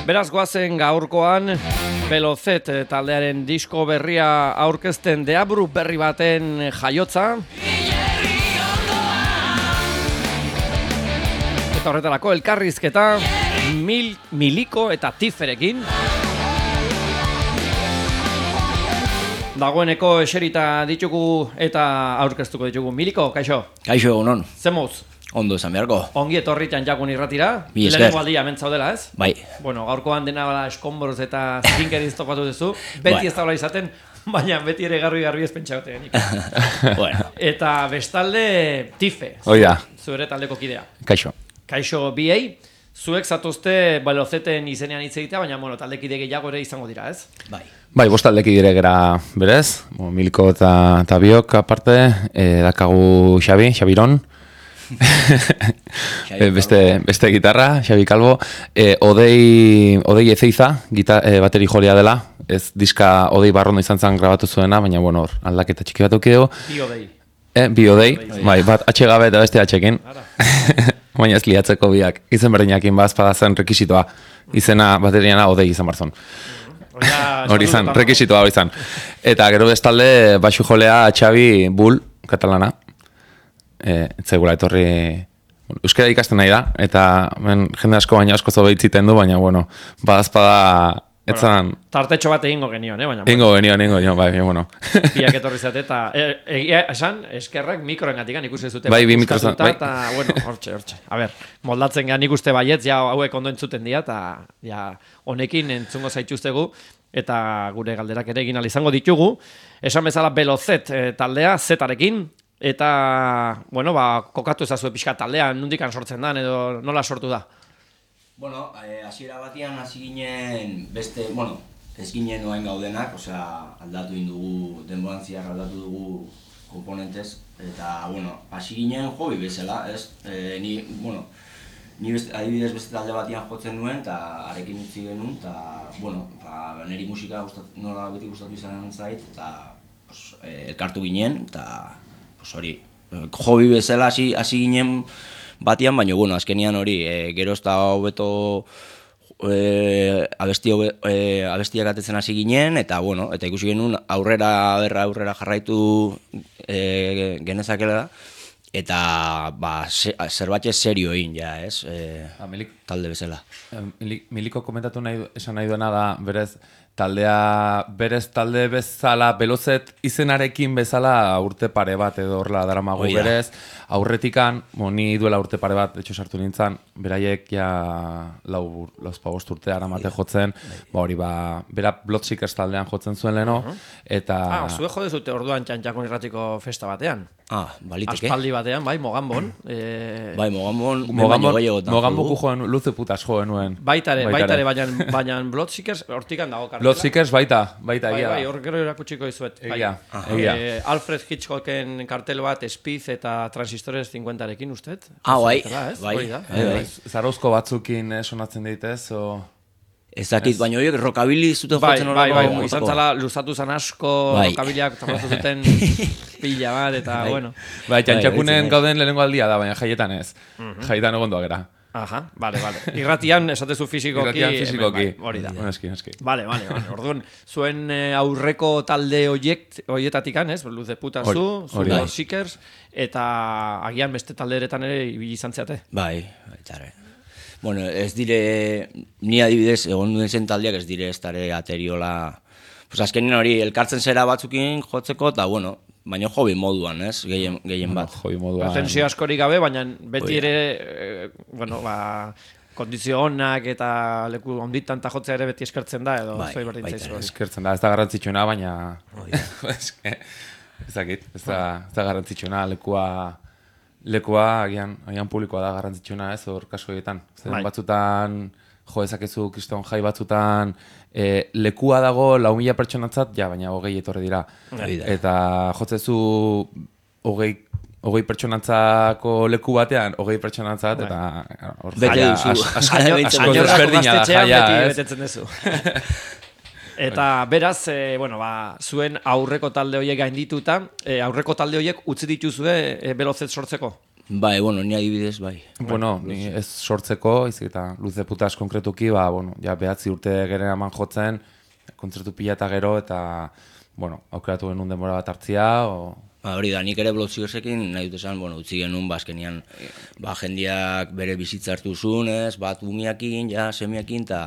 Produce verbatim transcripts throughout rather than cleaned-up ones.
Beraz goazen gaurkoan Belozet taldearen disko berria aurkezten deabru berri baten jaiotza. Eta horretarako elkarrizketa mil, Miliko eta Tiferekin. Dagoeneko eserita ditugu eta aurkeztuko ditugu. Miliko, kaixo? Kaixo, egunon. Zemoz? Ondo esan beharko. Ongi etorri Txantxakun irratira. Bi esker. Lehenengo aldia hemen zaudela, ez? Bai. Bueno, gaurkoan dena bala eskonboroz eta zinkeriz topatu duzu. Beti Bai. ez daula izaten, baina beti ere garbi-garbi ez pentsagote genik. Bueno. Eta bestalde Tife, Oida. zure taldeko kidea. Kaixo. Kaixo biei, zuek zatozte Belozeten izenean hitz egitea, baina bueno, taldekide gehiago ere izango dira, ez? Bai. Bai, bostaldeki dire gera berez, Bo, Miliko eta, eta biok aparte, e, dakagu Xabi, Xabiron, e, beste, beste gitarra, Xabi Calvo, e, Odei, Odei Ezeiza, gita, e, bateri jolia dela, ez diska Odei Barrondo izan zen grabatu zuena, baina bueno, hor, aldaketa txiki bat eukideu. Bi odei. E, bi Odei, bai, bat atxe gabe eta beste atxekin. Baina ez liatzeko biak, izen berdinakin bazpada zen rekisitoa, izena bateriana Odei izan barzon. Hori izan, rekisitoa hori izan. Eta gero bestalde, baxu jolea Xabi Bull, katalana. E, Zegula etorri euskara ikasten nahi da, eta men, jende asko baina asko zobeitziten du, baina bueno, badazpada etzan... Bueno, tartetxo bat egingo genion, eh? Baina, Ingo genion, ingo genion, bai, bueno. Biak etorri zate, eta egia esan, eskerrak mikroengatikan ikusi zute. Bai, bi mikro bai. Eta, bueno, hortxe, hortxe. A ber, moldatzen gehan ikuste baietz, ja hauek ondo entzuten dira, eta ja, honekin entzungo zaituztegu, eta gure galderak ere egin izango ditugu. Esan bezala Belozet e, taldea, zetarekin, eta, bueno, ba, kokatu ezazue pixka taldea, nondikan sortzen da, edo nola sortu da? Bueno, hasiera batian hasi ginen beste, bueno, ez ginen noain gaudenak, osea, aldatu indugu, denborantziak aldatu dugu komponentez, eta, bueno, hasi ginen hobi bezala, ez? E, ni, bueno, ni beste, adibidez beste talde batian jotzen nuen, eta arekin utzi genuen, eta, bueno, ba, niri musika gustat, nola beti gustatu izan zait, eta pues, e, elkartu ginen, eta pues, hori, hobi bezala hasi, hasi ginen batian, baina, bueno, azkenian hori, e, gero ez da hobeto e, abesti, e, abestiak atetzen hasi ginen, eta, bueno, eta ikusi genuen aurrera, aurrera, aurrera jarraitu e, genezakela da, eta ba, se, zerbait serio egin, ja, ez, e, Ah, Milik, talde bezala. Miliko komentatu nahi, esan nahi duena da, berez, taldea, berez talde bezala, Belozet izenarekin bezala urte pare bat edo horrela daramago Oida. berez, aurretikan, bo, ni duela urte pare bat, etxo sartu nintzen, beraiek ja lau, lauzpa bost urte aramate jotzen, ba hori ba, bera Bloodseekers taldean jotzen zuen leheno, eta... Ah, zue jode zute orduan Txantxakun irratiko festa batean. Ah, baliteke. Aspaldi batean, bai, Moganbon. E... Bai, Moganbon, Moganbon, Moganboku joen, luze putas joen nuen. Baitare, baitare, baina, baina Bloodseekers hortikan dago kartela. Bloodseekers baita, baita Bai, egia bai, da. hor gero erakutsiko izuet. Egia, Bai. egia. Eh, Alfred Hitchcocken kartel bat, Spiz eta Transistores cincuentarekin, usted? Ah, bai, Ez? bai, Hori da. bai, bai. Zarauzko batzukin eh, sonatzen ditez, o... Ez dakit, baina horiek rockabilly zuten Bai, jotzen bai, horreko. bai, izan zala luzatu zan asko, Bai. kabiliak tapatu zuten pila bat, eta, Bai. bueno. Bai, Txantxakunen bai, gauden lehenengo aldia da, baina jaietan ez. Jaietan egondoa gera. Aha, bale, bale. Irratian, esatezu fizikoki. Irratian fizikoki. hemen, bai, hori da. Eski, eski. Bale, bale, bale. Orduan, zuen eh, aurreko talde oiek, oietatikan, ez? Luz de puta Hori, zu, zu hori da. Seekers, eta agian beste talde eretan ere ibili izan zeate. Bai, baitare. Bueno, ez dire, ni adibidez, egon duen zen taldeak ez dire ez dare ateriola... Pues azkenin hori, elkartzen zera batzukin jotzeko, eta bueno, baina hobi moduan, ez, gehien, gehien bat. Joi moduan. Pretensio askorik gabe, baina beti Hori da. ere, eh, bueno, ba, kondizio onak eta leku onditan ta jotzea ere beti eskertzen da, edo Bai, zoi berdin baita zaizu ere. hori. Eskertzen da, ez da garrantzitsuena, baina... Eske, ez dakit, ez da, ez da garrantzitsuena, lekua... Lekua, agian, agian publikoa da garrantzitsuena, ez, hor kasu horietan. Zeren Bai. batzutan, jo ezakezu kriston jai batzutan, e, lekua dago lau mila pertsonatzat, ja, baina hogei etorri dira. Hori da. Eta jotzezu hogei, hogei pertsonantzako leku batean, hogei pertsonantzat, eta hor Bete jaia duzu. as- asko Hala behintzen asko duzu. desberdina da gaztetxean jaia, beti ez? betetzen duzu. Eta beraz, e, bueno, ba, zuen aurreko talde horiek gaindituta, e, aurreko talde horiek utzi dituzue e, Belozet sortzeko? Bai, bueno, ni adibidez, bai. Bueno, ni ez sortzeko, izik eta Luz de Putas konkretuki, ba, bueno, ja behatzi urte geren eman jotzen, kontzertu pila eta gero, eta, bueno, aukeratu genuen denbora bat hartzia, o... Ba, hori da, nik ere Bloodsugarsekin nahi dut esan, bueno, utzi genuen, ba, azkenian, ba, jendiak bere bizitza hartu zuen, ez, bat umiakin, ja, semiakin, eta...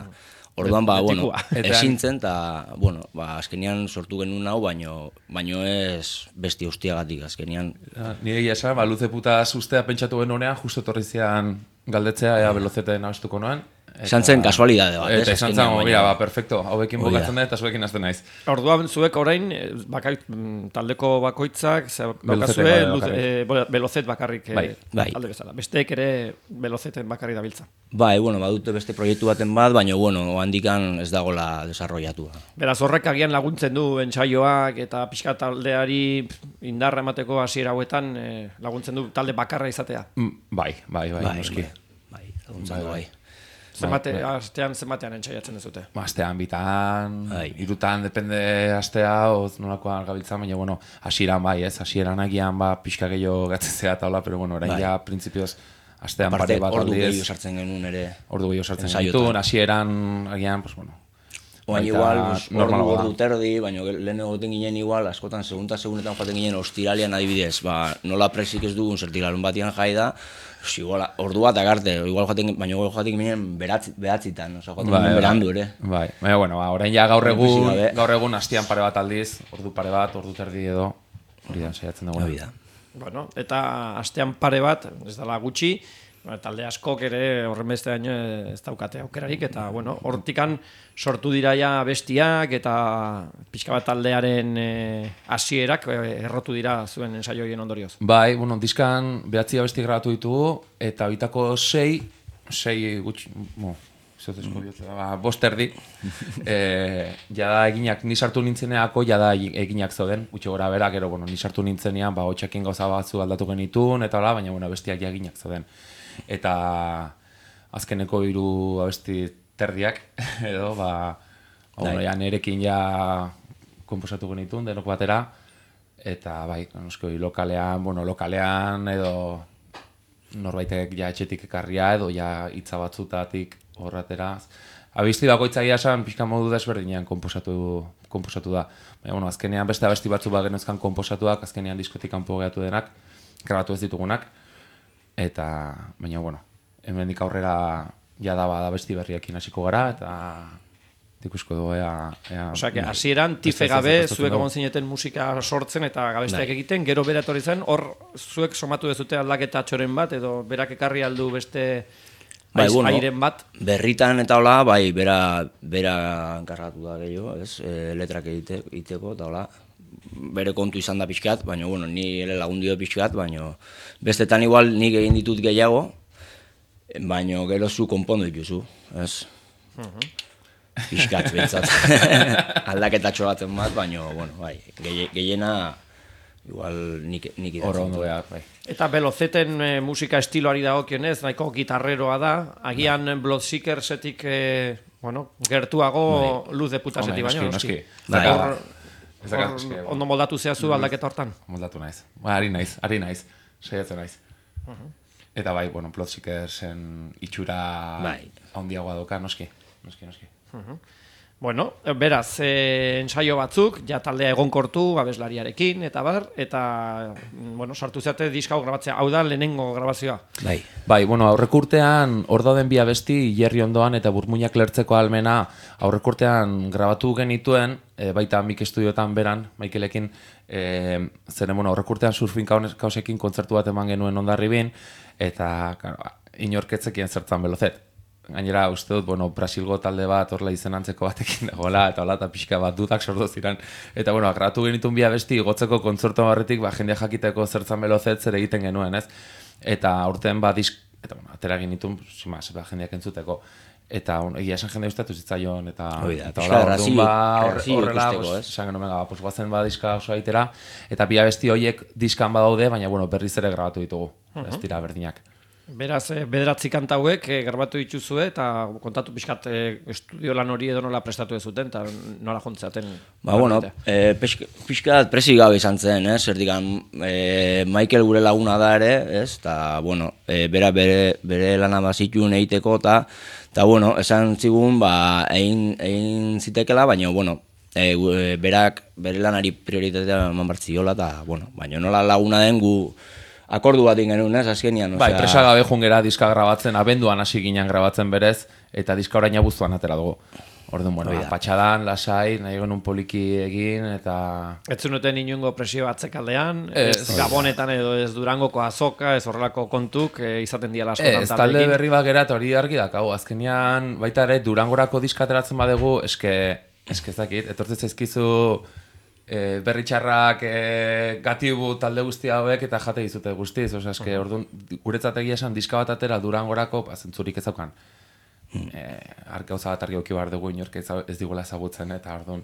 Orduan, ba, bueno, ezintzen, eta, bueno, ba, azkenian sortu genuen hau, baino, baino ez besti hostiagatik, azkenian. Nire egia esan, ba, Luz de Putas ustea pentsatu genuenean, justo etorri zian galdetzea, ea Velozeten abestuko noen. Esan zen kasualidade bat, ez? Eta esan zen, mira, ba, perfecto, hauekin bukatzen da eta zuekin azten naiz. Orduan, zuek orain, bakait, taldeko bakoitzak, bakazue, Velozet bakarrik talde bezala. Besteek ere Velozeten bakarrik dabiltza. Bai, bueno, badute beste proiektu baten bat, baina, bueno, handikan ez dagoela desarrollatu. Beraz, horrek agian laguntzen du entsaioak eta pixka taldeari indarra emateko hasiera hauetan laguntzen du talde bakarra izatea. Bai, bai, bai, noski. Bai, laguntzen du, bai. Zenbate, astean zenbatean entxaiatzen dezute? Astean bitan, irutan, depende astea, oz nolakoan gabiltzan, baina, bueno, hasieran bai, ez, hasieran agian, ba, pixka gehiago gatzen zera taula, pero, bueno, orain ja, prinsipioz, astean pare bat aldiz. Ordu gehiago sartzen genuen ere. Ordu gehiago sartzen genuen, hasieran, agian, pues, bueno. Oain igual, ordu terdi, baina lehen egoten ginen igual, askotan, segunta segunetan joaten ginen ostiralian adibidez, ba, nola presik ez dugun zertilalun batian jai da, igual, ordu bat agarte, igual joaten, baina igual joaten ginen behatzitan, oza, joaten ginen berandu ere. Bai, baina, bueno, orain ja gaur egun, gaur egun hastian pare bat aldiz, ordu pare bat, ordu terdi edo, hori da, saiatzen dugu. Bueno, eta hastean pare bat, ez dela gutxi, talde askok ere horren beste daño ez daukate aukerarik, eta, bueno, hortikan sortu dira ja bestiak, eta pixka bat taldearen hasierak errotu dira zuen ensaioien ondorioz. Bai, bueno, diskan behatzi abesti grabatu ditugu, eta bitako sei, sei gutxi, bo, zotezko bihotza, ba, bost erdi, jada eginak, ni sartu nintzeneako, jada eginak zauden, gutxi gora bera, gero, bueno, ni sartu nintzenean, ba, hotxekin gauza batzu aldatu genitun, eta hola, baina, bueno, bestiak ja eginak zauden. Eta azkeneko hiru abesti terdiak, edo, ba, bueno, ja nerekin ja konposatu genitun, denok batera, eta bai, noskoi, lokalean, bueno, lokalean, edo norbaitek ja etxetik ekarria, edo ja hitza batzutatik horratera. Abesti bakoitza egia esan, pixka modu desberdinean konposatu, konposatu da. Baina, bueno, azkenean beste abesti batzu bat genezkan konposatuak, azkenean diskotik kanpo geratu denak, grabatu ez ditugunak, eta, baina, bueno, hemendik aurrera jada bada besti berriekin hasiko gara, eta ikusko dugu ea... Osa, que hasieran tife gabe zuek egon zineten musika sortzen eta gabesteak egiten, gero bera etorri zen, hor zuek somatu dezute aldaketa txoren bat, edo berak ekarri aldu beste airen bat? Berritan eta hola, bai, bera enkargatu da gehiago, ez, letrak egiteko, eta hola, bere kontu izan da pixkat, baina, bueno, ni ere lagundio pixkat, baina bestetan igual nik egin ditut gehiago, baina gero zu konpondu dituzu, ez? Pixkat, behintzat. Aldaketatxo baten bat, baina, bueno, bai, gehiena igual nik idatzen. Horro ondo behar, bai. Eta Velozeten musika estiloari dagokionez, nahiko gitarreroa da, agian Bloodsugarsetik, bueno, gertuago Luz de Putasetik baino, noski. Ondo moldatu zehazu aldaketa hortan? Moldatu naiz, ari naiz, ari naiz, saiatzen naiz. Eta bai, bueno, Bloodsugarsen itxura handiagoa doka, noski, noski, noski. Bueno, beraz, ensaio batzuk, ja taldea egonkortu, abeslariarekin, eta bar, eta, bueno, sartu zeate diska hau grabatzea, hau da lehenengo grabazioa. Bai, bai, bueno, aurrekurtean, hor dauden bi abesti, Jerry ondoan eta Burmuinak lertzeko almena, aurrekurtean grabatu genituen, baita Mik Estudiotan beran, Maikelekin, zeren, bueno, aurrekurtean Surfin Kausekin kontzertu bat eman genuen Hondarribin, eta, inorketzekien zertzan Velozet. Gainera, uste dut, bueno, Brasilgo talde bat, horla izen antzeko batekin dagoela, eta hola, eta pixka bat dudak sortu ziren. Eta, bueno, agratu genitun bi abesti, gotzeko kontzertu barretik, ba, jendea jakiteko zertzan Velozet zer egiten genuen, ez? Eta aurten, ba, disk, eta, bueno, atera genitun, simaz, ba, jendeak entzuteko. Eta, egia esan jendea ustatu zitzaion, eta... Eta, hola, orduan, ba, horrela, esan genuen, ba, pues, guazen ba, diska oso aitera, eta bi abesti horiek diskan badaude, baina, bueno, berriz ere grabatu ditugu, ez dira berdinak. Beraz, bederatzi kanta hauek e, grabatu dituzue eta kontatu pixkat e, estudio lan hori edo nola prestatu ez zuten eta nola jontzaten. Ba, bueno, e, pixkat presik gabe izan zen, ez? Zertikan, e, Michael gure laguna da ere, ez? Eta, bueno, e, bera bere, bere lana bazituen egiteko eta, eta, bueno, esan zigun, ba, egin, egin zitekela, baina, bueno, e, berak bere lanari prioritatea eman bartziola eta, bueno, baina nola laguna den gu akordu bat genuen, ez, azkenian. Bai, presa gabe jungera diska grabatzen, abenduan hasi ginen grabatzen berez, eta diska orain abuztuan atera dugu. Orduan, bueno, patxadan, lasai, nahi genuen poliki egin, eta... Ez zunuten inungo presio atzekaldean, ez, ez Gabonetan edo ez Durangoko azoka, ez horrelako kontuk, e, izaten diala askotan ez, talde berri bat gera, eta hori argi dakau, azkenian, baita ere, Durangorako diska ateratzen badegu, eske, eske ezakit, etortzen zaizkizu... E, berritxarrak e, gatibu talde guzti hauek eta jate dizute guztiz, osea, eske, orduan, guretzat egia esan diska bat atera Durangorako, zentzurik ez daukan. E, Arkauza bat argi auki behar dugu inork ez digula ezagutzen, eta orduan,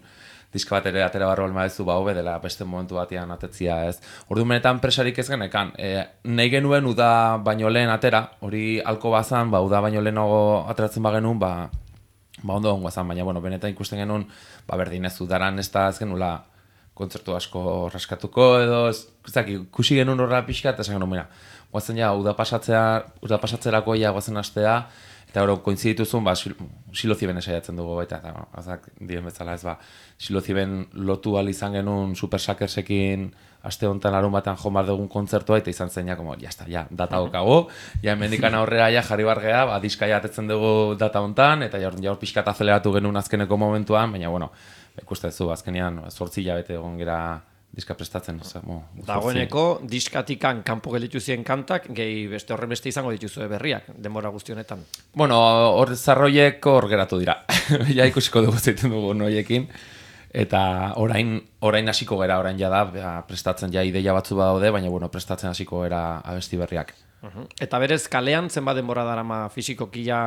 diska bat ere atera barro almaezu ba hobe dela beste momentu batean atetzia, ez. Orduan benetan presarik ez genekan, e, nahi genuen uda baino lehen atera, hori halko bazan, ba, uda baino lehenago ateratzen bagenuen, ba, ba ondo ongo zan, baina, bueno, benetan ikusten genuen, ba, berdin ez udaran ez da ez genula, kontzertu asko raskatuko edo, ezak, ikusi genuen horra pixka, eta esan genuen, mira, guazen ja, uda pasatzea, uda pasatzerako ja guazen astea, eta hori koinzidituzun, ba, siloziben esaiatzen dugu, eta, eta, azak, dien bezala ez, ba, siloziben lotu al izan genuen Super Suckersekin aste honetan larun batean jo bar dugun kontzertua, eta izan zen, ja, como, ya está, ya, data okago, ja, hemendikan aurrera, ja, jarri bargea, ba, diska jatetzen dugu data honetan, eta ja, hor pixka azeleratu genuen azkeneko momentuan, baina, bueno, ikusten zu, azkenean, zortzi hilabete egon gera diska prestatzen. Dagoeneko, diskatikan kanpo gelditu ziren kantak, gehi beste horren beste izango dituzue berriak, denbora guzti honetan. Bueno, hor zarroiek hor geratu dira. Ja ikusiko dugu zeiten dugu noiekin. Eta orain, orain hasiko gera, orain jada, prestatzen ja ideia batzu badaude, baina bueno, prestatzen hasiko gera abesti berriak. Uh-huh. Eta berez, kalean zenbat denbora darama fisikoki ja...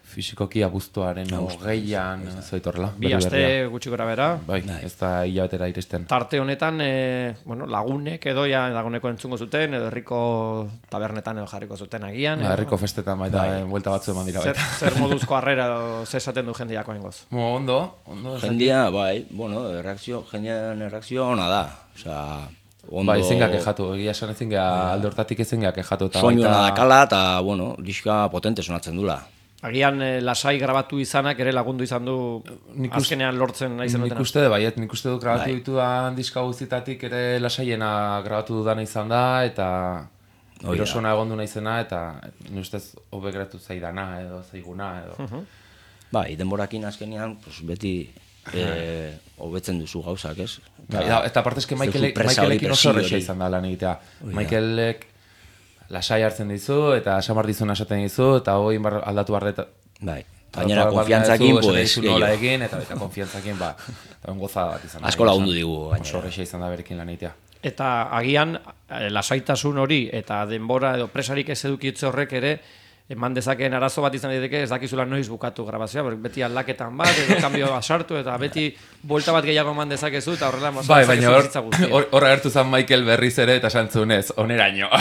Fisikoki abuztuaren hogeian, zoitorrela. Bi aste gutxi gora bera. Bai, ez da hilabetera iristen. Tarte honetan, e, bueno, lagunek edo ja dagoeneko entzungo zuten, edo herriko tabernetan edo jarriko zuten agian. Ja, herriko festetan baita, bai. Buelta batzu eman dira baita. Zer, zer moduzko harrera edo zesaten du jendeako hengoz? Mo, ondo, ondo. Jendia, bai, bueno, erreakzio, jendean erreakzio ona da. Osea, ondo... Bai, ezin gak ejatu, egia esan ezin gak, alde hortatik ezin gak ejatu. Soinu ona dakala, eta, bueno, diska potente sonatzen dula. Agian eh, lasai grabatu izanak ere lagundu izan du nik azkenean lortzen nahi zenutena. Nik uste, baiet, nik uste dut grabatu ditudan diska guztitatik ere lasaiena grabatu dudana izan da, eta erosona egon du naizena, eta nik ustez hobe geratu zaidana edo zaiguna edo. Uh-huh. Bai, denborakin azkenean, pues, beti hobetzen e, duzu gauzak, ez? Eta, ja, eta parte eske Michaelekin oso horrexe izan da lan egitea. Michaelek lasai hartzen dizu, eta samar dizuna esaten dizu, eta hoi aldatu barreta. Bai, gainera konfiantzakin, pues, nola egin, eta eta konfiantzakin, ba, eta gozada bat izan. Asko lagundu digu, gainera. Oso horreixa izan da berekin lan egitea. Eta agian, lasaitasun hori, eta denbora edo presarik ez edukitze horrek ere, eman dezakeen arazo bat izan daiteke, ez dakizula noiz bukatu grabazioa, beti aldaketan bat, edo kanbio asartu, eta beti buelta bat gehiago eman dezakezu, eta horrela mozak bai, baina hor hor agertu zen Michael berriz ere, eta santzunez, oneraino.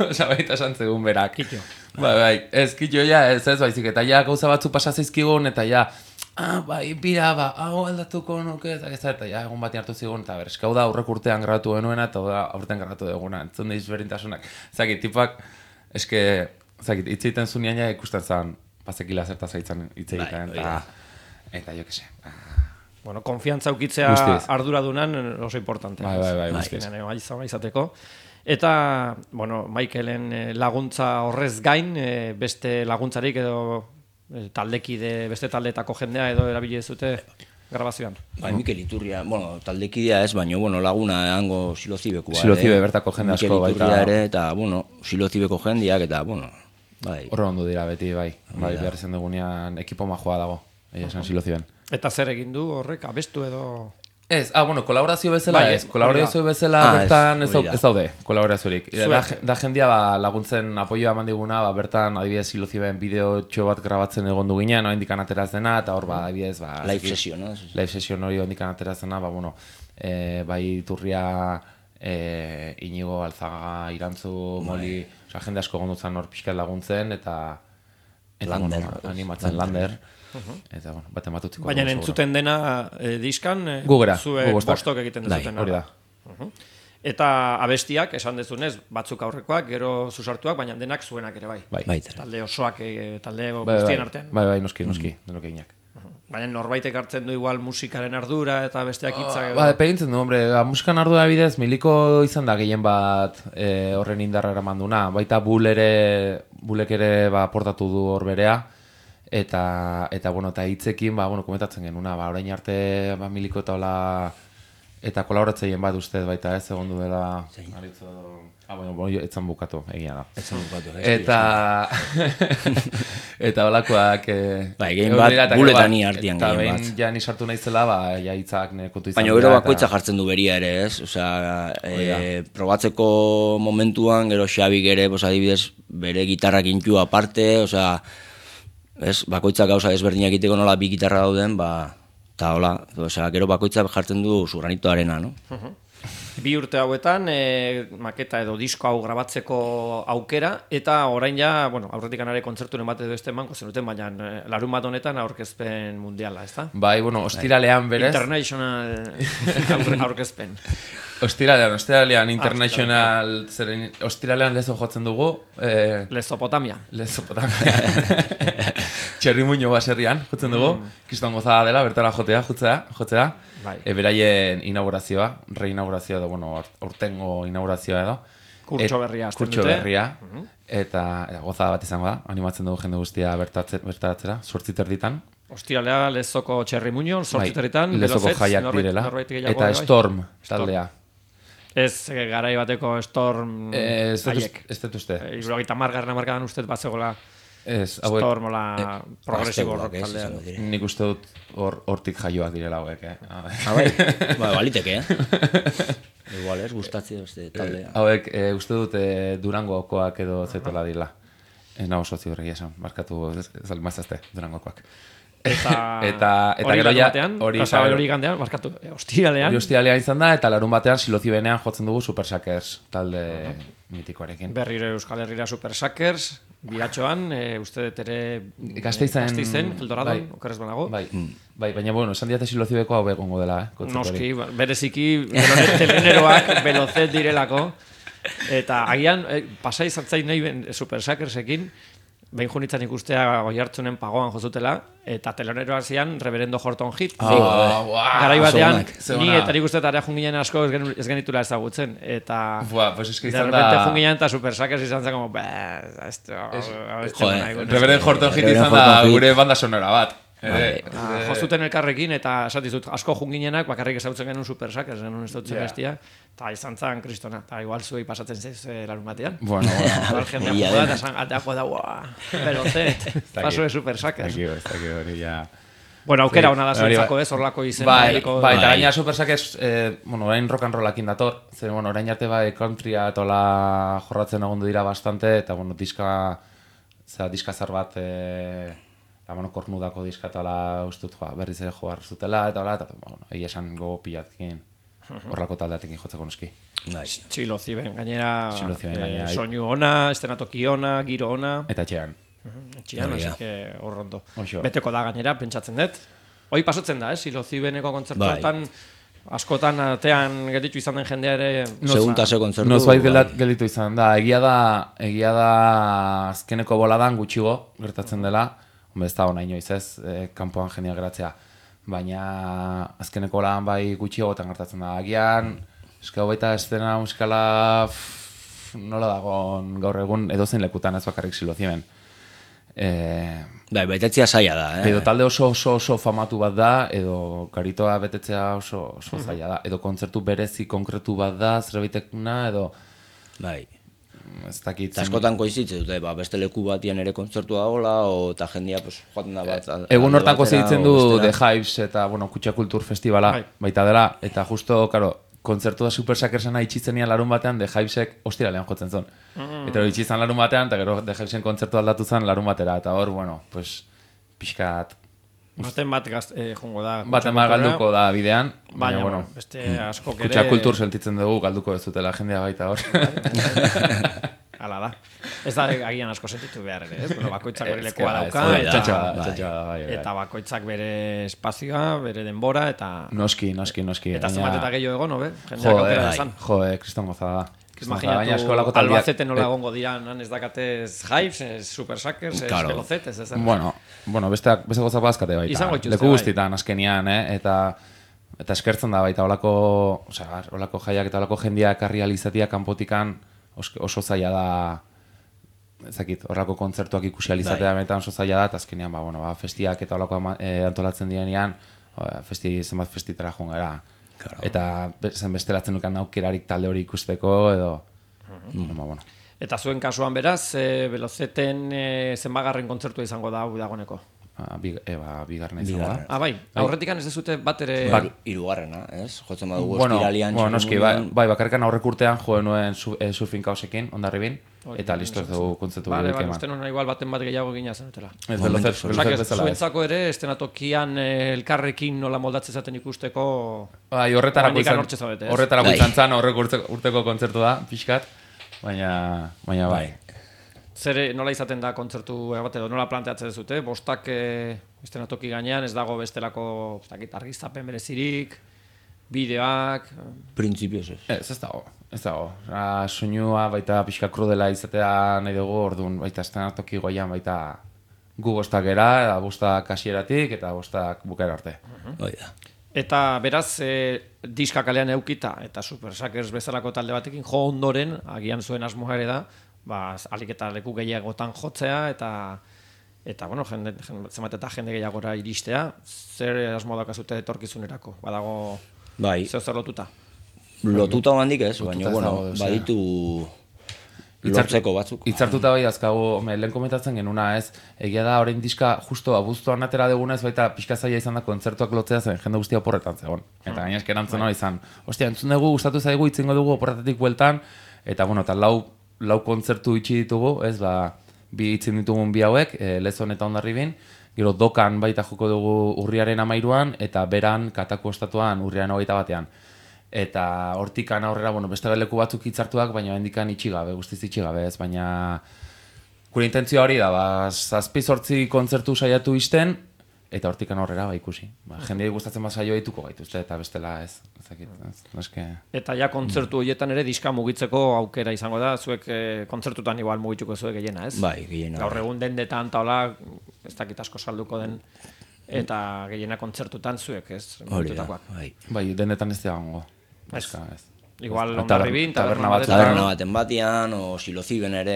Osa, baita santzegun berak. Kitio. Bai, bai, ez, kitio, ja, ez, ez, baizik, eta ja, gauza batzu pasazeizkigun, eta ja, ah, bai, bira, ba, hau aldatuko nuke, eta ez, eta ja, egun batean hartu zigun, eta ber, eskau da aurrek urtean grabatu genuena, eta da aurten grabatu duguna, entzun deiz berintasunak. Zaki, tipak, eske, zaki, hitz egiten zunean ja ikusten zen, bazekila zerta zaitzen hitz egiten, eta, eta jo kese. Bueno, konfiantza ukitzea arduradunan oso importante. Bai, bai, bai, guztiz. Bai, izateko. Eta, bueno, Michaelen laguntza horrez gain, beste laguntzarik edo taldekide, beste taldetako jendea edo erabili zute grabazioan. Bai, Mikel Iturria, bueno, taldekidea ez, baina, bueno, laguna hango Silozibekua. Silozibe bertako jende asko baita. Mikel Iturria ere, eta, bueno, Silozibeko jendeak, eta, bueno, bai. Horro ondo dira beti, bai. Bai, behar izan dugunean ekipo majoa dago, egia esan Siloziben. Eta zer egin du horrek, abestu edo... Ez, ah, bueno, kolaborazio bezala, bai, ez, kolaborazio bezala ah, bertan ez, ez daude, kolaboraziorik. Da, da jendia ba, laguntzen apoioa eman diguna, ba, bertan adibidez Siloziben bideo txo bat grabatzen egon du ginen, no, indikan ateraz dena, eta hor, ba, adibidez, ba... Live session, no? Live session hori indikan ateraz dena, ba, bueno, e, bai Iturria e, Inigo, Alzaga, Irantzu, Moli, oza, jende asko gondutzen hor pixkat laguntzen, eta, eta Lander, bueno, animatzen Lander. Eta, bueno, bat ematutziko. Baina entzuten dena eh, diskan, eh, Gugera, zuek gu bostak. bostok egiten dezuten. Hori da. Eta abestiak, esan dezunez, batzuk aurrekoak, gero zuzartuak, baina denak zuenak ere bai. Bai, Bai, Talde osoak, eh, talde bai, bai, guztien artean. bai, bai, noski, noski, denok eginak. Baina norbaitek hartzen du igual musikaren ardura eta besteak hitzak edo. Ba, epegintzen du, hombre, ba, musikan ardura bidez, Miliko izan da gehien bat e, horren indarra eraman duna. Baita Bull ere, Bullek ere ba, portatu du hor berea, eta, eta, bueno, eta hitzekin, ba, bueno, komentatzen genuna, ba, orain arte, ba, Miliko eta hola, eta kolaboratzeien bat ustez baita ez, egon du dela, aritzo, ah, bueno, bueno, etzan bukatu, egia da. Etzan bukatu, ez. Eta, eta holakoak... Eh, bai, gehien bat, buletan ni hartian gehien bat. Eta behin ja ni sartu naizela, ba, ja hitzak kontu izan. Baina gero bakoitza jartzen du beria ere, ez? Osea, e, probatzeko momentuan, gero Xabik ere, pues, adibidez, bere gitarrak intu aparte, osea, ez? Bakoitzak gauza ezberdinak egiteko nola bi gitarra dauden, ba, eta hola, osea, gero bakoitza jartzen du su granitoarena, no? Bi urte hauetan, e, maketa edo disko hau grabatzeko aukera, eta orain ja, bueno, aurretik anare kontzerturen bat edo este emango zenuten, baina e, larun bat honetan aurkezpen mundiala, ezta? Bai, bueno, ostiralean berez. International aurkezpen. Ostiralean, ostiralean, international, zeren, ostiralean lezo jotzen dugu. Eh, Lezopotamia. Lezopotamia. Txerrimuño baserrian, jotzen dugu. Mm. Kiston gozada dela, bertara jotea, jotzea, jotzea. Bai. E, beraien inaugurazioa, reinaugurazioa edo, bueno, aurtengo inaugurazioa edo. Kurtso berria azten Kurtso dute. berria, eta, eta gozada bat izango da, animatzen dugu jende guztia bertaratzera, sortzi terditan. Ostiralea lezoko txerrimuño, sortzi territan, lezoko jaiak direla. Eta Storm taldea. Ez garai bateko Storm Ez haiek. ez dut uste. Irurogeita margarren amarkadan uste bat zegoela Ez, Storm ola progresibo rock taldea. Nik uste dut hortik jaioak direla hauek, eh? Ah, bai, ba, baliteke, eh? Igual ez, gustatzen beste taldea. Hauek, uste dut Durangokoak edo zetela dira. Ez nago sozio horregi esan, markatu mazazte Durangokoak. Eta, eta, eta gero ja, hori hori gandean, markatu, ostiralean. Hori ostiralean izan da, eta larun batean Silozi benean jotzen dugu Super Suckers talde mitikoarekin. Berriro Euskal Herrira Super Suckers, biratxoan, e, uste dut ere Gazteizen, Gazteizen, Eldoradon, bai, okerrez banago. Bai, bai, baina bueno, esan diate Silozi beko hau begongo dela, eh? Noski, bereziki, teleneroak belozet direlako, eta agian, e, pasai zartzain nahi Super Suckersekin, behin junitzen ikustea goi hartzunen pagoan jozutela, eta teloneroa zian Reverendo Horton Heat. Oh, wow, garai batean, ni eta nik uste eta junginen asko ez, gen, ez genitula ezagutzen. Eta Buah, pues de repente junginen eta Super Suckers izan zen como, esto, Reverendo Horton Heat izan da gure banda sonora bat. Eh, ah, jozuten elkarrekin eta esatizut asko junginenak bakarrik ezagutzen genuen Super Suckers, genuen ez dutzen bestia, eta izan zen kristona, eta igual zuei pasatzen zez eh, larun batean. Bueno, bueno. Jendea joda eta zan ateako da, uaa, belozet, paso de Super Suckers. Aquí, ez dakit hori ja... Bueno, aukera hona da zuentzako ez, horlako izen. Bai, bai, eta gaina Super Suckers, eh, bueno, orain rock and rollakin dator, zer, bueno, orain arte bai countrya eta hola jorratzen egondu dira bastante, eta, bueno, diska, zera, diska zar bat, eh, eta, bueno, kornudako diskatala ustut joa, berriz ere joar zutela, eta hola, eta, bueno, egia esan gogo pilatkin horrako taldeatekin jotzeko noski. Txilozi ben, gainera, eh, soinu ona, estenatoki ona, giro ona. Eta txean. Txian, así que horrondo. Beteko da gainera, pentsatzen dut. Hoi pasatzen da, eh, Silozi beneko kontzertuetan, askotan atean gelditu izan den jendea ere... Seguntase kontzertu. Nozbait gelditu izan da. Egia da, egia da azkeneko boladan gutxigo gertatzen dela. Hombre, ez da hona inoiz ez, eh, kanpoan jendea geratzea. Baina azkeneko lan bai gutxiagotan gertatzen da. Agian, eskau baita estena musikala pff, nola dagoen gaur egun edozein lekutan ez bakarrik Silozien. Eh, bai, baitetzea zaila da, eh? Edo talde oso oso oso famatu bat da, edo karitoa betetzea oso oso zaila da. Edo kontzertu berezi konkretu bat da, zerbaitekuna, edo... Bai. Ez dakit... Askotan koizitze dute, ba, beste leku batian ere kontzertua hola, o eta jendia pues, joaten da bat... Egun hortan kozitzen du The Hives eta, bueno, Kutxa Kultur Festivala baita dela, eta justo, karo, kontzertu da Super Suckersena itxitzenian larun batean The Hivesek ostiralean jotzen zon. Eta hori itxitzen larun batean, eta gero The Hivesen kontzertu aldatu zen larun batera, eta hor, bueno, pues, pixkat Baten bat gaz, eh, jongo da. Baten bat galduko da bidean. Baina, Baina, bueno, beste asko kere... Kutsa kultur sentitzen dugu, galduko ez dutela jendea baita hor. Hala da. Ez da agian asko sentitu behar ere, ez? Bueno, bakoitzak bere lekoa Ez, dauka, bai, eta, txatxoa da, txatxoa da, bai, bai. eta bakoitzak bere espazioa, bere denbora, eta... Noski, noski, noski. Eta baina- zenbat eta gehiago egon, no, be? Jendeak Jo, aukera eh, dezan. jo, eh, kriston gozada da. Kriston gozada, baina eskolako Imaginatu taldeak- Albacete nola egongo dira, nan ez dakatez Hives, ez Super Suckers, ez Claro. Velocetes, ez da. Bueno, bueno, besteak, beste gozak bazkate baita. Izango dituzte, Leku bai. guztitan azkenian, eh? Eta, eta eskertzen da baita olako, osea, olako jaiak eta olako jendia ekarri alizatia kanpotikan os- oso zaila da, ezakit, horrako kontzertuak ikusi alizatea benetan oso zaila da, eta azkenean, ba, bueno, ba, festiak eta olako ama- eh, antolatzen dienean, ba, festi, zenbat festitara joan gara. Claro. Eta be- zen bestelatzen dukan aukerarik talde hori ikusteko, edo, bueno, bueno. Eta zuen kasuan beraz, e, Veloceten e, zenbagarren kontzertua izango da hau dagoneko. Ah, bi, e, ba, bigarren izango da. Bigarren. Ah, bai, aurretikan ez dezute bat ere... Ba, hirugarrena, ez? Jotzen badugu Bueno, ostiralian... bueno, noski, bai, txirrindulain. bai, bakarrikan aurrek urtean joen nuen su, e, surfing kausekin, ondarribin, eta listo ez dugu kontzertu Vale, bilik vale, eman. uste nuen igual baten bat gehiago gina zenutela. Ez Momentu velozet, zuen. Osak, velozet bezala ez. zuentzako ere, estenatokian eh, elkarrekin nola moldatzen zaten ikusteko... Bai, horretarako Oraindik izan, hortxe zaudete, ez? horretarako Bai. izan zan horrek urte, urteko kontzertu da, pixkat, baina, baina bai. Zer, nola izaten da kontzertu bat edo nola planteatzen duzute? Bostak eh, estenatoki gainean, ez dago bestelako ez dakit, argiztapen berezirik, bideoak... Printzipioz ez. Ez, ez dago, ez dago. Ah, soinua baita pixka krudela izatea nahi dugu, orduan baita estenatoki goian baita gu bostak era, eta bostak hasieratik eta bostak bukaera arte. Hoi da. Eta beraz, e, diska kalean eukita, eta Super Suckers bezalako talde batekin jo ondoren, agian zuen asmoa ere da, ba, alik eta leku gehiagotan jotzea, eta eta bueno, jende, jende, zenbat eta jende gehiagora iristea, zer asmo daukazute etorkizunerako, badago Bai, zeo zer lotuta. lotuta handik ez, Lotuta baina, ez bueno, dago, osea. baditu Hitzartu- lortzeko batzuk. Hitzartuta bai azkagu, home, lehen komentatzen genuna ez, egia da orain diska justo abuztuan atera dugunez, baita pixka zaila izan da kontzertuak lotzea zen, jende guztia oporretan zegoen. Eta gaina erantzun hori izan, ostia, entzun dugu, gustatu zaigu, itzingo dugu oporretatik bueltan, eta bueno, eta lau, lau kontzertu itxi ditugu, ez, ba, bi itzin ditugun bi hauek, e, Lezon eta Hondarribin, gero Dokan baita joko dugu urriaren amairuan, eta beran Katako estatuan urriaren hogeita batean. Eta hortikan aurrera, bueno, beste leku batzuk hitzartuak, baina hendikan itxi gabe, guztiz itxi gabe, ez, baina gure intentzioa hori da, ba, zazpi zortzi kontzertu saiatu izten, eta hortikan aurrera, ba, ikusi. Ba, jendei gustatzen bat saio dituko gaituzte, eta bestela ez, ezakit, ez, eske... Eta ja kontzertu horietan ere diska mugitzeko aukera izango da, zuek e, kontzertutan igual mugituko zuek gehiena, ez? Bai, gehiena. Gaur egun dendetan eta hola, ez dakit asko salduko den, eta gehiena kontzertutan zuek, ez? Hori da, Mugitutakoak. bai. Bai, denetan ez dagoengo. Ez. Eska, ez. Igual Ez, Hondarribin, taberna taberna batzuk. batetan. Taberna baten batean, o Siloziben ere,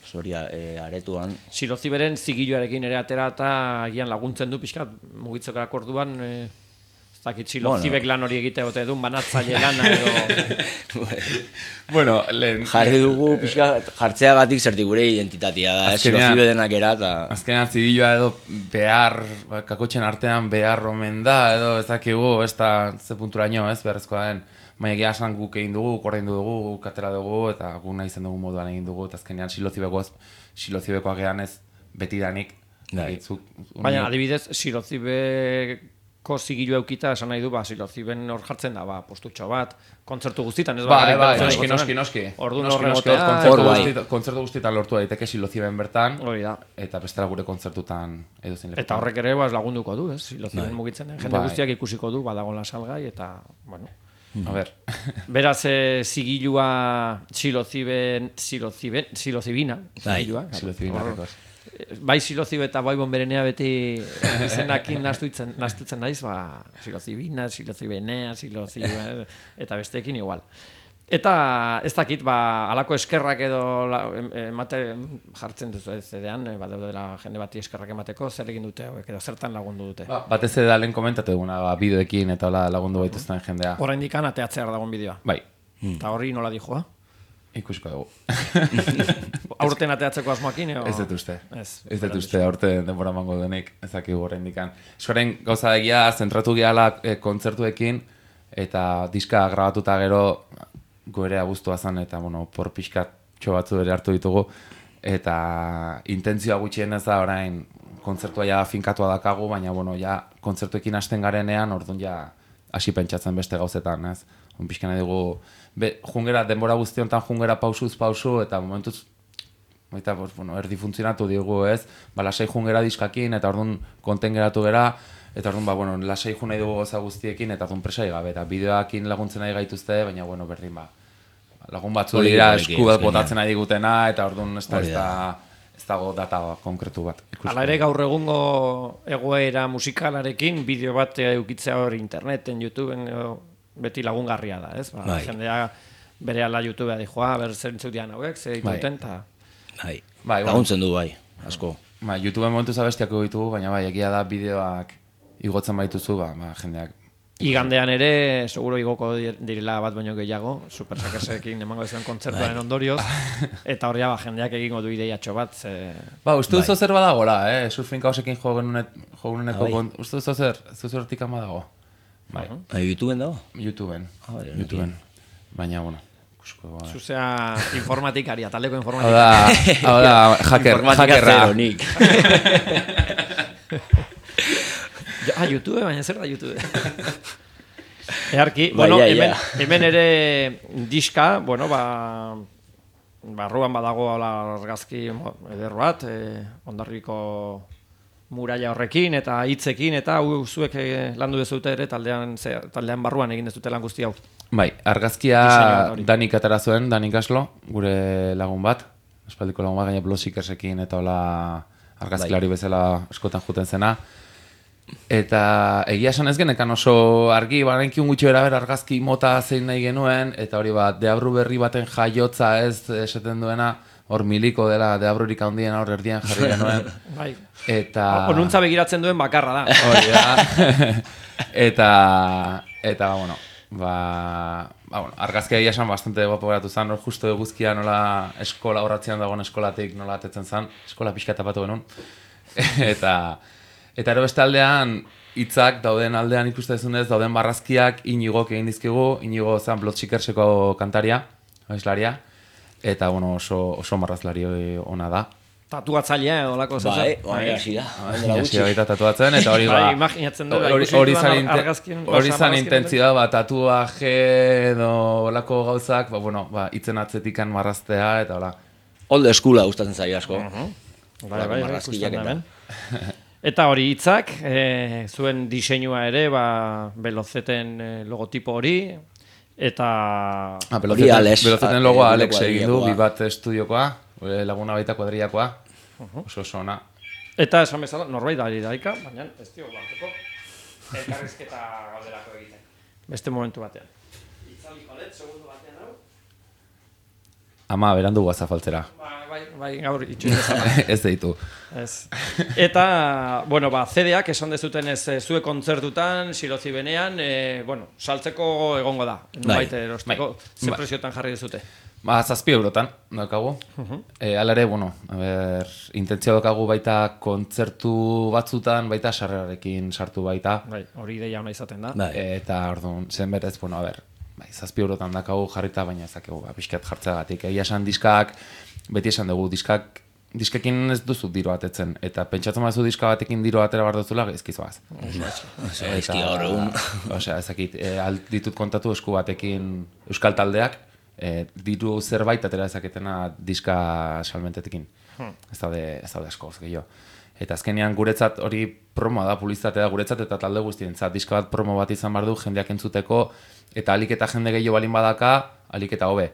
soria, e, aretuan. Siloziberen zigilloarekin ere atera eta agian laguntzen du pixkat mugitzeko orduan, e, ez dakit Silozibek lan hori egite gote duen, banatzaile lana edo... Bueno, lehen... Jarri dugu, pixka, jartzeagatik zertik gure identitatea da, ez Azkenean- Silozibe denak era, eta... Azkenean zigiloa edo behar, ba, kakotxen artean behar omen da, edo ez dakigu, ez da ze punturaino, ez, beharrezkoa den. Baina egia esan guk egin dugu, korrein dugu, katera dugu, eta guk nahi zen dugu moduan egin dugu, eta azkenean silozibekoaz, silozibekoa gehan ez betidanik. Bai. Zuk- Baina, uni- adibidez, Silozibeko zigillo eukita, esan nahi du, ba, Siloziben hor jartzen da, ba, postutxo bat, kontzertu guztietan, ez Bai, bakarrik bai, Velozeten noski, igotzen noski, den. noski. Orduan Noski, horren noski, otea, kontzertu hor bai. guztietan- kontzertu guztietan lortu daiteke siloziben bertan, hori da. eta bestela gure kontzertutan edozein lekutan. Eta horrek ere ba, lagunduko du, ez? Siloziben mugitzen den jende Bai. guztiak ikusiko du, badagoela salgai, eta, bueno... A ber, Beraz, e, zigilua siloziben, siloziben, silozibina, Bai, zigilua. claro. silozibina Hor- rekoz. Bai silozibe eta bai bonberenea beti izenakin nastutzen, nastutzen naiz, ba, silozibina, silozibenea, silozibe, eta besteekin igual. Eta ez dakit, ba, alako eskerrak edo la, em- emate jartzen duzu ez zedean, e, badaudela jende bati eskerrak emateko, zer egin dute hauek, edo zertan lagundu dute. Ba, batez ere da lehen komentatu duguna, ba, bideoekin eta hola lagundu baituzten jendea. Oraindik ateatzear dagoen bideoa. Bai, Eta horri nola dijoa? ikusiko dugu. Aurten ateatzeko asmoakin, edo? Ez dut uste. Ez. Ez dut uste aurten denbora mango denik, ezakigu oraindikan. Eskoren gauza egia zentratu gehala e, kontzertuekin, eta diska grabatuta gero goere abuztua zen, eta bueno, por pixkat txo batzu ere hartu ditugu, eta intentzioa gutxienez da orain kontzertua ja finkatua dakagu, baina, bueno, ja, kontzertuekin hasten garenean, orduan ja, hasi pentsatzen beste gauzetan, ez? Un pixka nahi dugu, be, jungera, denbora guztiontan jungera pausuz pausu, eta momentuz, baita, pues, bueno, erdi funtzionatu digu, ez? Ba, lasai jungera diskakin, eta orduan konten geratu gera, eta orduan, ba, bueno, lasai jun nahi dugu goza guztiekin, eta orduan presai gabe, eta bideoakin laguntzen nahi gaituzte, baina, bueno, berdin, ba, lagun batzu dira esku bat botatzen nahi digutena, eta orduan ez da, ez da, ez dago data konkretu bat. Hala ere gaur egungo egoera musikalarekin, bideo bat eukitzea hor interneten, YouTubeen, beti lagungarria da, ez? Ba, bai. Jendea bere ala YouTubea dijoa, ber zentzu dian hauek, zer dituten, eta... Bai, bai, laguntzen du, bai, asko. Bai, YouTubeen momentu zabestiak ditugu, baina bai, egia da bideoak igotzen baituzu, ba, ba jendeak. Igandean ere, seguro igoko direla bat baino gehiago, Supersakesekin emango izan kontzertuaren ondorioz, eta horria ba, jendeak egingo du ideiatxo bat. Ze... Ba, uste duzu zer badagola, eh? Surfin kausekin joguneneko, uste duzu zer, zuzu hortik ama dago. Bai. YouTubeen dago? YouTubeen, YouTubeen, baina, bueno. Zuzea informatikaria, taldeko informatikaria. Hau da, hau da, hacker, hackerra. Nik. Ah, YouTube, baina zer da YouTube? Earki, bueno, hemen, hemen ere diska, bueno, ba, barruan badago argazki eder bat, eh, Hondarribiko muraia horrekin eta hitzekin, eta hau zuek landu dezute ere taldean, ze, taldean barruan egin dezute lan guzti hau. Bai, argazkia Danik atara zuen, Danik Aslo, gure lagun bat, espaldiko lagun bat, gaina Blosikersekin eta hola argazkilari bezala eskotan juten zena. Eta egia esan ez genekan oso argi, barenkiun gutxi bera argazki mota zein nahi genuen, eta hori bat, deabru berri baten jaiotza ez esaten duena, hor miliko dela, deabrurik handien hor erdian jarri genuen. Bai. Eta... Onuntza begiratzen duen bakarra da. Hori da. Eta, eta, bueno, ba, ba, bueno, argazkia egia esan bastante guapo geratu zen, hor justo eguzkia nola eskola horratzean dagoen eskolatik nola atetzen zen, eskola pixka tapatu genuen. Eta... Eta ero beste aldean, hitzak dauden aldean ikustezunez, dauden barrazkiak Inigok egin dizkigu, Inigo zen Blotsikertseko kantaria, abeslaria, eta bueno, oso, oso marrazlari ona da. Tatuatzailea edo lako zezen. Bai, bai, hasi da. Hasi da baita tatuatzen, eta hori ba... Bai, imaginatzen dut, hori zan intentzioa, ba, tatuaje edo lako gauzak, ba, bueno, ba, itzen atzetikan marraztea, eta hola. Old schoola gustatzen zaio asko. Bai, bai, ikusten da, eta hori hitzak, e, zuen diseinua ere, ba, Belozeten e, logotipo hori, eta... Ah, Belozeten logoa Alex egin du, bi bat estudiokoa, laguna baita kuadriakoa, oso oso ona. Eta esan bezala, norbait da daika, baina ez dio banteko, elkarrizketa gauderako egiten. Beste momentu batean. Itzaliko dut, segundu batean hau. Ama, berandu guazafaltzera. Bai, bai, gaur itxoin ezala. Ez deitu. Ez. Eta, bueno, ba, C D-ak esan dezuten ez zue kontzertutan, Silozi benean, e, bueno, saltzeko egongo da. Nubait erosteko, ze preziotan jarri dezute. Ba, zazpi eurotan, daukagu. E, Ala ere, bueno, a ber, intentzia daukagu baita kontzertu batzutan, baita sarrerarekin sartu baita. Bai, hori ideia ona izaten da. Bai. Eta, orduan, zen berez, bueno, a ber, bai, zazpi eurotan daukagu jarrita, baina ezakegu, ba, pixkat jartzeagatik. Egia esan diskak, beti esan dugu, diskak, diskekin ez duzu diro atetzen, eta pentsatzen bazu diska batekin diro atera bar duzula, ezkizoaz. Ezki gaur egun. Osea, ezakit, e, ditut kontatu esku batekin euskal taldeak, e, diru zerbait atera ezaketena diska salmentetekin. Ez daude, ez daude asko, gehiago. Eta azkenean guretzat hori promoa da, publizitatea da guretzat, eta talde guztientzat diska bat promo bat izan behar du, jendeak entzuteko, eta alik eta jende gehiago balin badaka, alik eta hobe.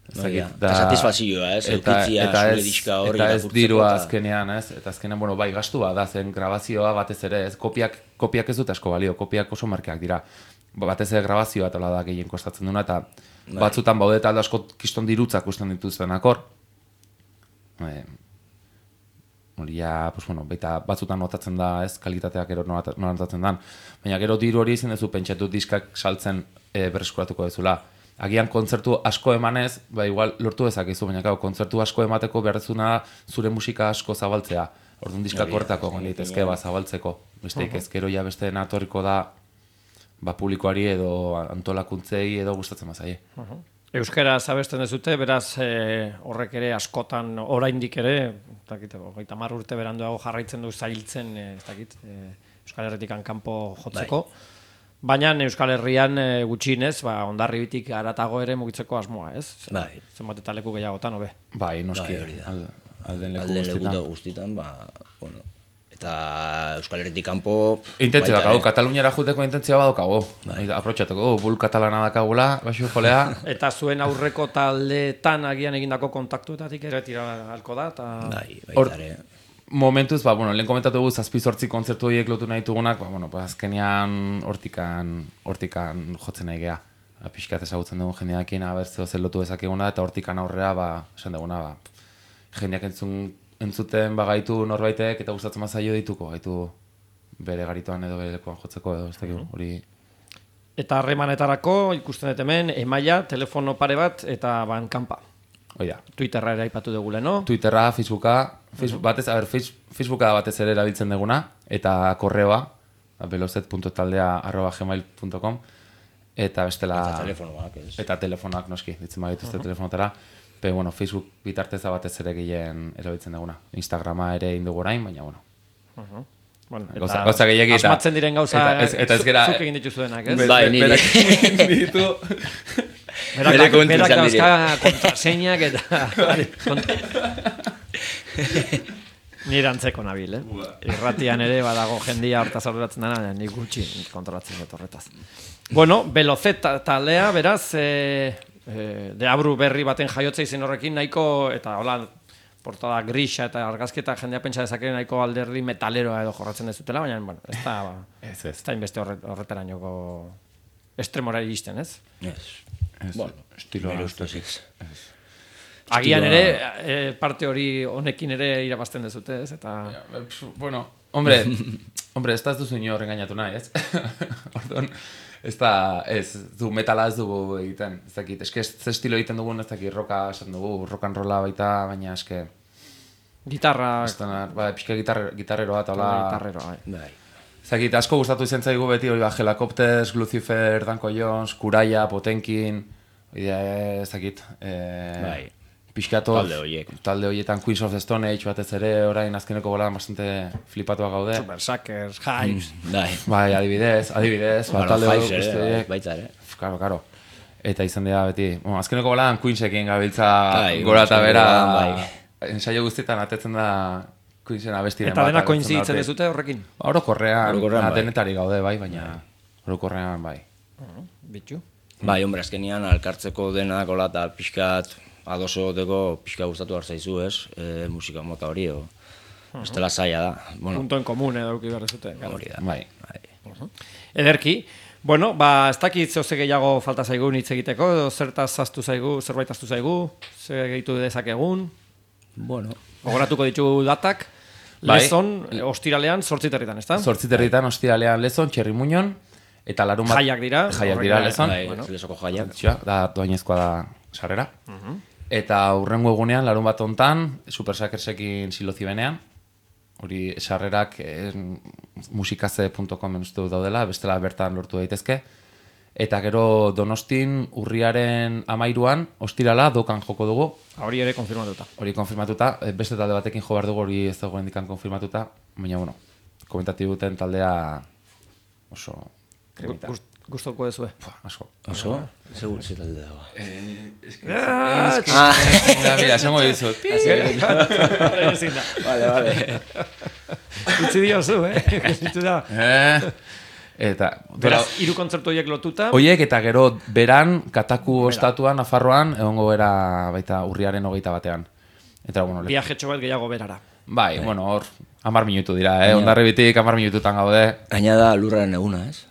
Eta satisfazioa, ez, eukitzia, zure diska horri eta ez dirua azkenean, ez, eta azkenean, bueno, bai, gastua da, zen grabazioa batez ere, ez, kopiak, kopiak ez dut asko balio, kopiak oso merkeak dira, batez ere grabazioa eta da gehien kostatzen duna, eta batzutan baude eta aldo asko kiston dirutzak usten dituzten akor, hori ja, pues bueno, baita batzutan notatzen da, ez, kalitateak gero notatzen dan, baina gero diru hori izin dezu pentsatu diskak saltzen e, berreskuratuko dezula. Agian kontzertu asko emanez, ba igual lortu dezakezu, baina gau, kontzertu asko emateko beharrezuna zure musika asko zabaltzea. Orduan diskak hortako gonditezke ba zabaltzeko. Besteik ezkero ja beste natorriko da ba publikoari edo antolakuntzei edo gustatzen bazaie. Euskaraz abesten dezute, beraz e, horrek ere askotan oraindik ere, ez dakit, hogeita hamar urte beranduago jarraitzen du zailtzen, e, ez dakit, e, Euskal Herritik kanpo jotzeko. Bai. Baina Euskal Herrian e, gutxienez, ba, Hondarribitik haratago ere mugitzeko asmoa, ez? Bai. Zenbat eta leku gehiagotan, hobe. Bai, noski. Bai, hori da. Al, alden leku Alden guztietan. leku guztietan, ba, bueno, eta Euskal Herritik kanpo... Intentzio dakau, Kataluniara juteko intentzioa badaukago. Bai. Aprotxatuko, bul katalana dakagula, baixu jolea. Eta zuen aurreko taldeetan agian egindako kontaktuetatik ere tira halko da, eta... Bai, Hor- baita ere. Momentuz, ba, bueno, lehen komentatu dugu zazpi zortzi kontzertu horiek lotu nahi dugunak, ba, bueno, ba, azkenean hortikan, hortikan jotzen nahi geha. Ba, pixkat ezagutzen dugun jendeakin, abertzeo zer lotu dezakeguna, eta hortikan aurrera, ba, esan duguna, ba, jendeak entzun, entzuten bagaitu norbaitek, eta gustatzen mazaio dituko, gaitu bere garitoan edo bere lekuan jotzeko, edo ez dakigu, hori... Eta harremanetarako ikusten dut hemen, emaila, telefono pare bat, eta ban kanpa. Oida. Twitterra ere aipatu dugule, no? Twitterra, Facebooka, Facebook, batez, a ber, Facebooka batez ere erabiltzen duguna, eta korreoa, velozet punto taldea arroba gmail punto com, eta bestela... Eta telefonoak, ez? Eta telefonoak, noski, ditzen bagituzte uh-huh. telefonotara. Pe, bueno, Facebook bitarteza batez ere gehien erabiltzen duguna. Instagrama ere indugu orain, baina, bueno. Uh-huh. Bueno, eta Gauza, gauza gehiagi eta... asmatzen diren gauza eta, ez, eta ez gera, zuk egin dituzuenak, ez? Be, Bai, be, nire. berak ditu... Berak, Bere kontu berak izan dauzka kontraseinak eta... Nire antzeko nabil, eh? Irratian ere badago jendia hortaz arduratzen dena, nik gutxi kontrolatzen dut horretaz. Bueno, Velozet taldea, beraz, e, e, deabru berri baten jaiotza izen horrekin nahiko, eta hola, portada grisa eta argazketa jendea pentsa dezake nahiko alderdi metaleroa edo jorratzen dezutela, baina, bueno, ez da, Ez, ez. ez da inbeste horret, horretarainoko estremora iristen, ez? Ez. Ez, Bueno, estiloa. nire ustez ez. Agian Estiloa- ere, e, parte hori honekin ere irabazten dezute, ez? Eta... Bueno, hombre, hombre, ez da ez duzu inor engainatu nahi, ez? Orduan, ez da, ez, du metala ez dugu egiten, ez dakit, eske ez estilo egiten dugun, ez dakit, roka esan dugu, rock and rolla baita, baina eske, Gitarra... ez da, ba, pixka gitar, gitarreroa, eta hola, Gitarreroa, bai. Bai. ez dakit, asko gustatu izan zaigu beti, hori ba, Helicopters, Lucifer, Danko Jones, Kuraia, Potenkin, hori da, ez dakit, eh, Bai. pixkato, Talde horiek. talde horietan Queens of the Stone Age batez ere, orain azkeneko bola bastante flipatuak gaude. Super Suckers, Hives... Bai. Bai, adibidez, adibidez, ba, Bueno, talde Hives guzti ere, horiek. baita ere. Karo, karo. Eta izan dira beti, bueno, azkeneko bolan Queensekin gabiltza Bai, gora eta bera, bai. ensaio guztietan atetzen da Queensen abestiren Eta dena agertzen da koinziditzen hortik. dezute horrekin? Orokorrean, Orokorrean, bai. denetari gaude, bai, baina orokorrean, bai. Bitu. Bai, hombre, azkenian alkartzeko denak hola eta pixkat adoso goteko pixka gustatu hartzaizu, ez? E, musika mota hori, o... Ez dela zaila da. Bueno, Punto en común edo eduki behar dezute. hori da. Bai. Bai. Ederki. Bueno, ba, ez dakit zehose gehiago falta zaigu hitz egiteko, edo zertaz zaztu zaigu, zerbait aztu zaigu, zer gehitu dezakegun, Bueno, gogoratuko ditugu datak, Bai. lezon, ostiralean, sortziterritan, ez da? Zortziterritan ostiralean lezon, Txerrimuñon, eta larun bat... Jaiak dira. Jaiak dira horrek- lezon. bai, bueno. lesoko jaiak. Txua, da, doainezkoa da sarrera. Eta hurrengo egunean, larun bat hontan, Super Suckersekin silozi benean, hori sarrerak eh, musikaze punto com uste dut daudela, bestela bertan lortu daitezke. Eta gero Donostin urriaren amairuan, ostirala, dokan joko dugu, Hori ere konfirmatuta. hori konfirmatuta, eh, beste talde batekin jo behar dugu, hori ez dago hendikan konfirmatuta, baina, bueno, komentatibuten taldea oso kremita. Gust- Gustoko dezue. Pua, asko. Oso? Segur ze talde dago. Ah, Da, mira, esango dizut. Ezin da. Vale, vale. Utzi diozu, eh? Utzi da. Eh, eta, Beraz, hiru kontzertu horiek lotuta. Oiek eta gero beran, Kataku ostatuan, Nafarroan, egongo bera baita urriaren hogeita batean. Eta, bueno, le- Viajetxo bat gehiago berara. bai, bueno, hor, hamar minutu dira, eh? Hondarribitik hamar minututan gaude, Gaina da lurraren eguna, ez?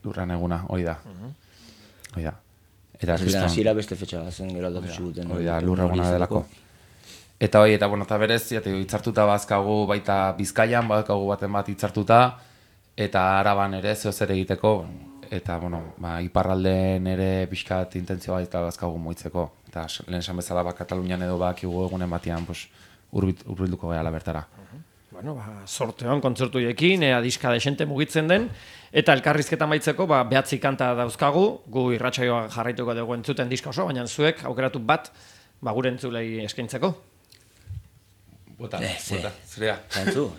lurran eguna, hoi da. Hoi da. Eta, Ziren kriston, hasiera beste fetxa zen gero aldatu ziguten. hoi da, lurra eguna delako. Eta hoi, eta, bueno, eta berez, jate, hitzartuta bazkagu baita Bizkaian, badakagu baten bat hitzartuta, eta Araban ere zeo zer egiteko, eta, bueno, ba, iparralden ere pixkat intentzioa eta bazkagu moitzeko. Eta lehen esan bezala, ba, Katalunian edo bakigu egunen batean, pues, urbit- urbilduko gehala bertara. bueno, ba, sorteon kontzertuekin, ea diska desente mugitzen den, eta elkarrizketa maitzeko, ba, behatzi kanta dauzkagu, gu irratsaioa jarraituko dugu entzuten diska oso, baina zuek aukeratu bat, ba, gure entzulei eskaintzeko. Bota, Eh, ze. bota, zurea. Kantzu,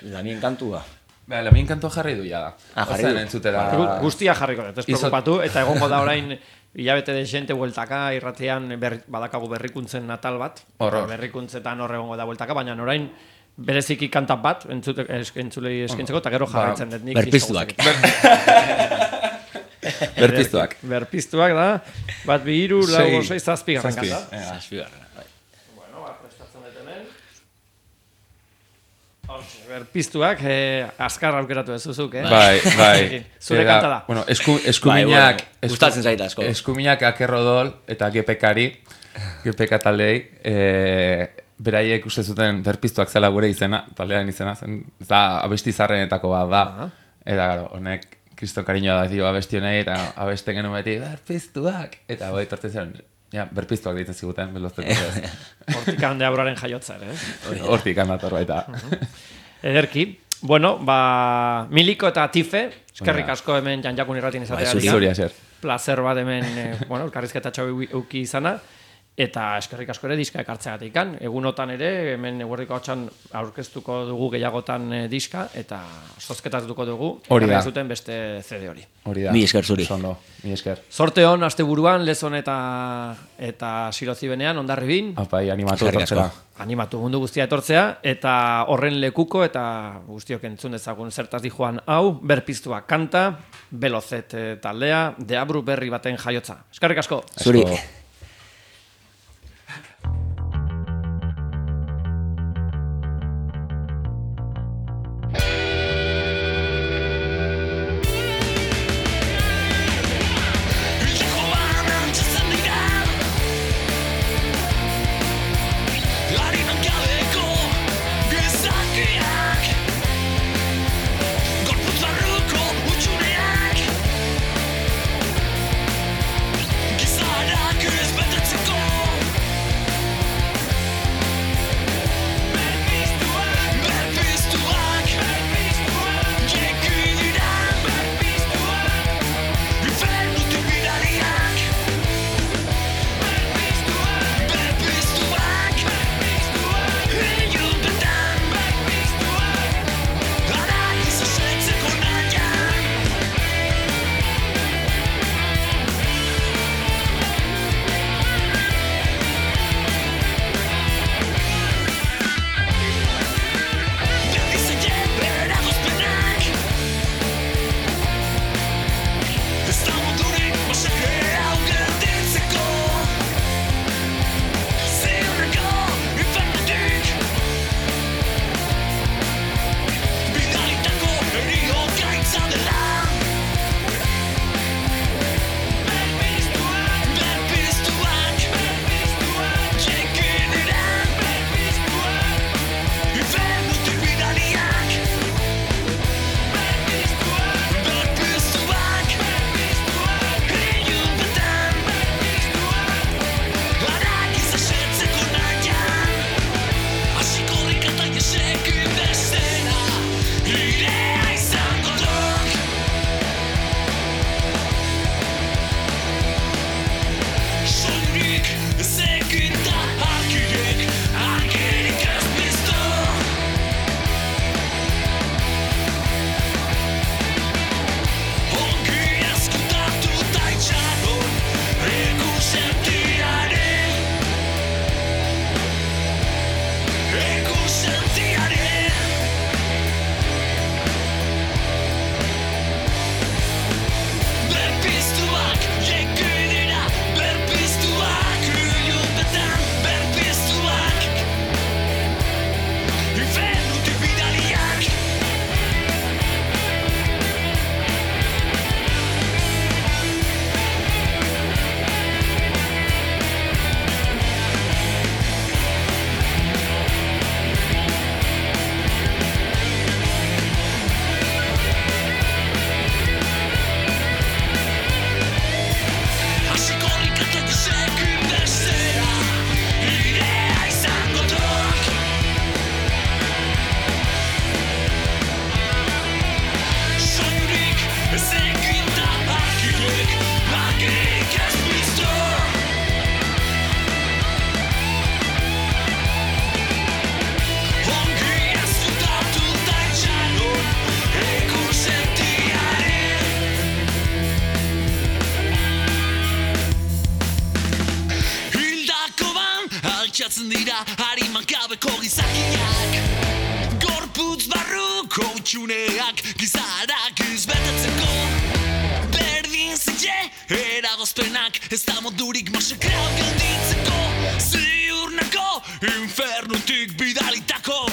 Lamien kantua. Ba, Lamien kantua jarri du ja da. Ah, jarri Ozen du. entzutera... Gu- Guztia jarriko dut, ez Izot- preocupatu, eta egongo da orain hilabete de gente bueltaka irratean ber, badakagu berrikuntzen natal bat. Horror. Eta berrikuntzetan hor egongo da bueltaka, baina orain bereziki kanta bat entzute, es, entzulei eskintzeko, eta gero jarraitzen dut nik. Berpiztuak. Berpiztuak. Berpiztuak da, bat bi hiru, lau, Sei. sei, zazpi garran Zazpi. kanta. Ea. Zazpigarren, bai. Bueno, ba, prestatzen dut hemen. Hortxe, berpiztuak, eh, azkar aukeratu ez zuzuk, eh? Bai, bai. Zure Era, kanta da. Bueno, esku, Bai, eskuminak... bueno, esku- gustatzen zait asko. Eskuminak akerrodol eta gepekari, gepeka taldei, e, beraiek uste zuten berpiztuak zela gure izena, taldean izena, zen, da abesti zarrenetako bat da. Aha. Eta, gero, honek kriston kariñoa da dio abesti honei, eta abesten genuen beti, berpiztuak! Eta bai, tortzen zen, ja, berpiztuak ditzen ziguten, beloztetu ez. Hortik hande aurraren jaiotza ere, eh? Hortik handator baita. Ederki. Bueno, ba, Miliko eta Tife, eskerrik Bai. asko hemen janjakun irratin Bai, izatea. zuri. Zuri eser. Placer bat hemen, eh, bueno, elkarrizketa txau euki izana, eta eskerrik asko ere diska ekartzeagatik kan. Egunotan ere, hemen eguerdiko hotxan aurkeztuko dugu gehiagotan eh, diska, eta zozketatuko dugu, Hori da. ekarri zuten beste C D hori. Hori da. Mi esker zuri. Oso ondo, mi esker. Sorte hon, aste buruan, lezon eta, eta silozibenean, ondarribin, Apai, animatu Eskerrik asko. etortzera. animatu mundu guztia etortzea, eta horren lekuko, eta guztiok entzun dezagun zertaz di joan hau, berpiztua kanta, Belozet eh, taldea, deabru berri baten jaiotza. Eskerrik asko! Zuri. Asko. Gizarak hutsuneak gizarak izbetatzeko. Berdin zile, eragozpenak, ez da modurik masakreak gelditzeko. Ziurnako, infernutik bidalitako.